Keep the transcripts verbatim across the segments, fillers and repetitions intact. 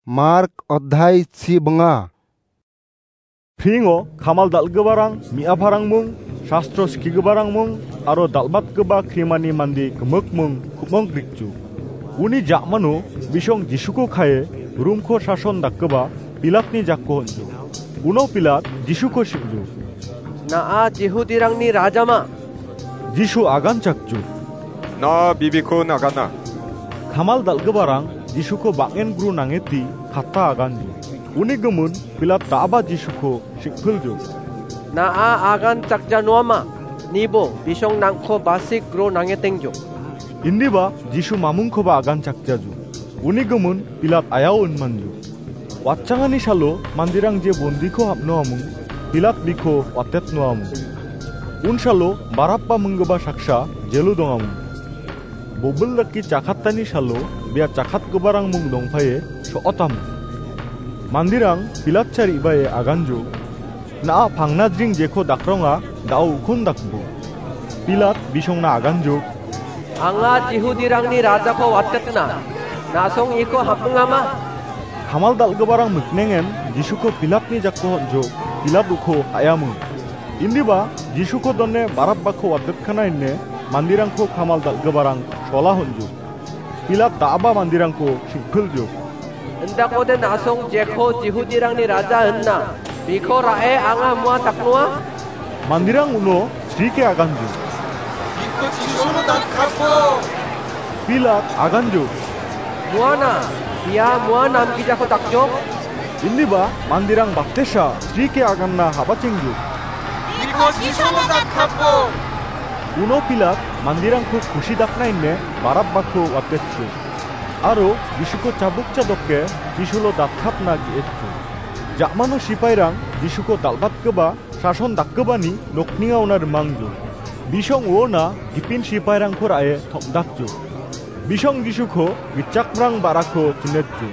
Mark odhai chibnga. Pringo kamal dal·giparang, me·aparangmung, shastro skigiparangmung, aro dal·batgipa krimani mande gimikmung ku·mong grikju. Uni ja·mano bisong Jisuko kae Rumko sason dakgipa Pilatni jakko on·jo. Uno Pilat Jisuko sing·jo. Na·a Jihudirangni rajama? Jisu aganchakjo. Na bibikon agana. Kamal dal·giparang Jisuko bang·en gru nangeti katta aganjo. Uni gimin Pilat da·aba Jisuko sing·piljo. Na·a aganchakja noama? Nibo bisong nangko basik gru nangetengjo. Indiba Jisu mamungkoba aganchakjajo. Uni gimin Pilat ayao inmanjo. Watchangani salo manderang je bondiko hapnoamung, Pilat biko watetnoamung. Unsalo Barabba minggipa saksa jelo dongamung. Bobil dake chakatani salo bia chakatgiparangmung dongpae so·otamung. Manderang Pilatcha re·bae aganjo. Na·a pangnajring jeko dakronga, da·o ukon dakbo. Pilat bisongna aganjok. Anga Jihudirangni rajako watetna. Na·song iko hapmingama? Kamal dal·giparang miknengen Jisuko Pilatni jakko on·jok, Pilat uko ha·iamung. Indiba Jisuko done Barabbako watetkana ine manderangko kamal dal·giparang sola on·jok. Pilat da·aba manderangko sing·piljo. Indakode na·song jeko Jihudirangni raja inna, biko ra·e anga mua daknoa? Manderang uno srike aganjo. Biko Jisuno datkapbo. Pilat aganjo. Muana, ia mua namgijako dakjok. Indiba manderang baktesa srike aganna habachengjo. Biko Jisuno datkapbo. Uno Pilat manderangko kusi dakna ine Barabbako watetjo. Aro Jisuko chabuk chadoke Jisulo datkapna ge·etjo. Ja·mano sipairang Jisuko dal·batgipa sason dakgipani nokninga ona rimangjo. Bisong uona gipin sipairangko ra·e tom·dakjo. Bisong Jisuko gitchakmrang ba·rako chinetjo.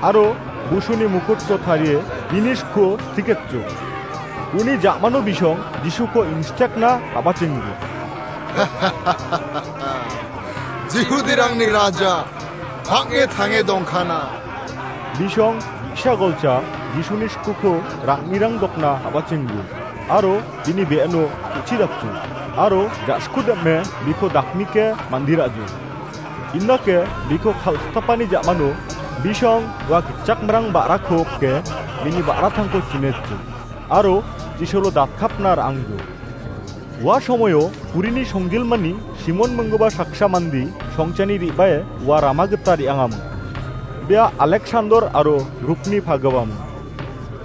Aro busuni mukutko tarie bini sko stiketjo. Uni ja·mano bisong Jisuko instekna habachengjo. Jihudirangni raja, bang·e tange dongkana. Bisong bi·sa golcha Jisuni skuko rang·mirang dokna habachengjo. Aro bini be·eno ku·chi dakjo. Aro ja·sku dem·e biko daknike mandirajo. Indake biko kal·stapani ja·mano bisong ua gitchakmrang ba·rako pike bini ba·ratangko chinetjo. Aro Jisulo datkapna ra·angjo. Ua somoio kurini songjilmani Simon minggipa saksa mande songchani re·bae ua rama gita re·angaming. Bia Aleksandar aro Rupni pagipaming.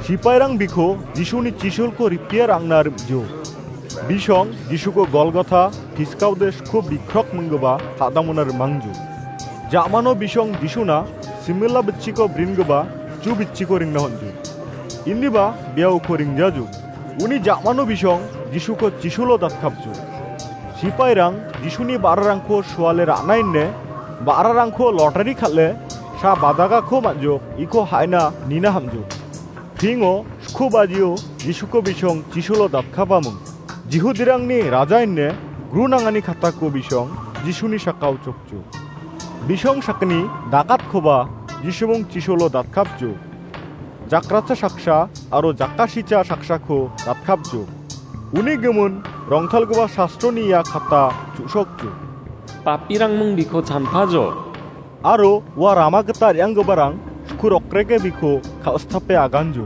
Sipairang biko Jisuni chisolko ripia ra·angna rim·jo. Bisong Jisuko Golgotha, Piskaode Sko Bikrok minggipa ha·damona rimangjo. Ja·mano bisong Jisuna simila bitchiko bringipa ju bitchiko ringna on·jo. Indiba bia uko ringjajo. Uni ja·mano bisong Jisuko chisulo datkapjo. Sipairang Jisuni ba·rarangko suale ra·na ine ba·rarangko lotari kal·e sa badagako man·jok iko ha·ina nina ham·jo. Pingo sku bajio Jisuko bisong chisulo datkapaming. Jihudirangni raja ine gru nangani katako bisong Jisuni sakao chokjo. Bisong sakgni dagatkoba Jisumung chisulo datkapjo. Jakracha saksa aro jakasicha saksako datkapjo. Uni gimin rongtalgipa sastroni ia kata chu·sokjo. Papirangmung biko chanpajo. Aro ua rama gita re·anggiparang sku rokreke biko kal·stape aganjo.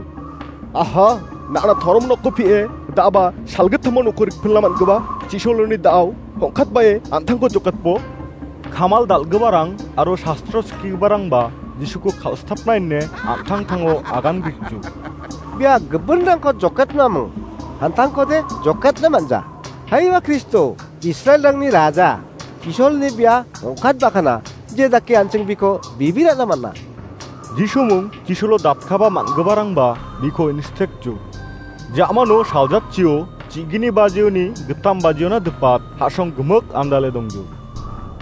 Aha, na·na torom nokko pie, da·aba salgittamon uko rikpilna man·gipa chisoloni da·ao hongkatbae an·tangko joketbo. Kamal dal·giparang aro sastro skigiparangba Jisuko kal·stapna ine an·tangtango agan grikjo. Bia gipinrangko joketnaming, an·tangkode joketna man·ja. Haiba Kristo, Israelrangni raja, chisolni bia ong·katbakana, je dake an·ching biko bibi ra·na man·a. Jisumung chisulo datkaba man·giparangba biko instekjo. Ja·mano saljatchio, chigini bajioni, gitam bajiona dipat, ha·song gimik andale dongjo.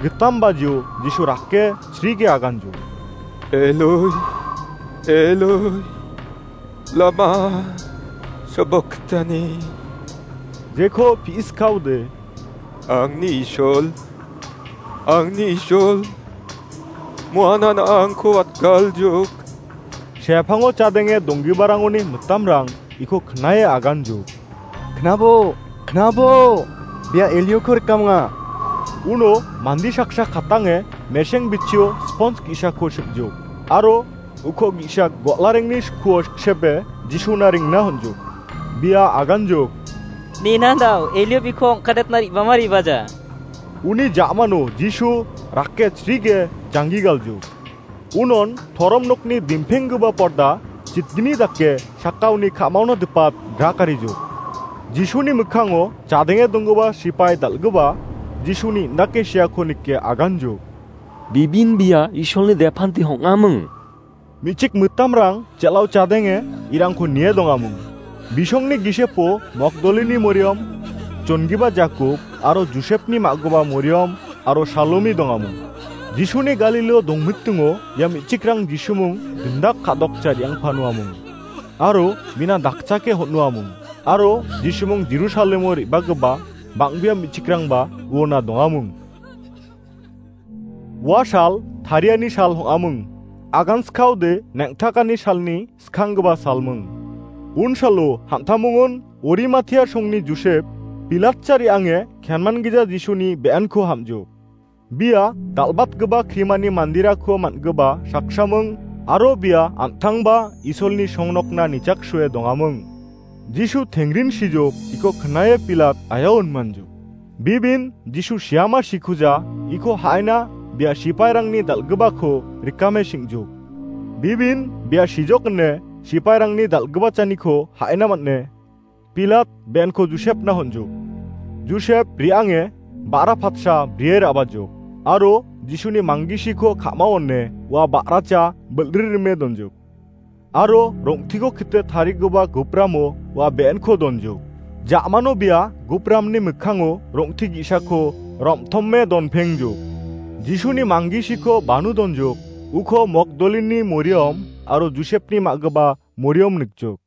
Gitam bajio Jisu rake srige aganjo. Eloi, Eloi, lama sabaktani? Jeko pi·iskaode. Angni Isol, angni Isol, muanan angko watgaljok. Sepango chadenge donggiparangoni mitamrang iko knae aganjuk. Knabo, knabo, bia Elioko rikamonga. Uno mande saksa katange meseng bitchio spons ge·sako sikjuk. Aro uko ge·sa go·larengni skuo siksepe Jisuna ringna honjuk. Bia aganjuk. Nina dao, Elio biko ong·katna re·bama re·baja. Uni ja·mano Jisu rake chrige janggi galjuk. Unon torom nokni dimpenggipa porda chitgni dake sakaoni ka·maona dipat grakarijuk. Jisuni mikkango chadenge donggipa sipai dal·gipa Jisuni indake seako nike aganjuk. Bibin bia Isolni depanti hong·aming. Me·chik mitamrang jel·ao chadenge irangko nie dongaming. Bisongni gisepo Mokdolini Moriom, chongipa Jakob aro Josepni ma·gipa Moriom aro Salomi dongaming. Jisuni Galileo dongmitingo ia me·chikrang Jisumung gindak ka·dokcha re·angpanoaming. Aro mina dakchake hon·noaming. Aro Jisumung Jerusalemo re·bagipa bang·bea me·chikrangba uona dongaming. Ua sal tariani sal hong·aming. Aganskaode neng·takani salni skanggipa salming. Unsalo hamtamongon Orimatia songni Josep, Pilatcha re·ange kenman gija Jisuni be·enko ham·jo. Bia dal·batgipa krimani mandirako man·gipa saksaming aro bia an·tangba Isolni songnokna nichaksue dongaming. Jisu tengrin sijok iko knae Pilat ayao inmanjok. Bibin Jisu siama sikuja iko ha·ina bia sipairangni dal·gipako rikame sing·jok. Bibin bia sijok ine sipairangni dal·gipachaniko ha·ina man·e. Pilat be·enko Josepna hon·jok. Josep re·ange ba·ra patsa brie ra·bajok aro Jisuni manggisiko ka·mao one ua ba·racha bilri rime donjok. Aro rong·tiko kite tarigipa gupramo ua be·enko donjok. Ja·mano bia gupramni mikkango rong·ti ge·sako rom·tome donpengjok. Jisuni manggisiko banu donjok. Uko Mokdolini Moriom aro Josepni ma·gipa Moriom nikjok.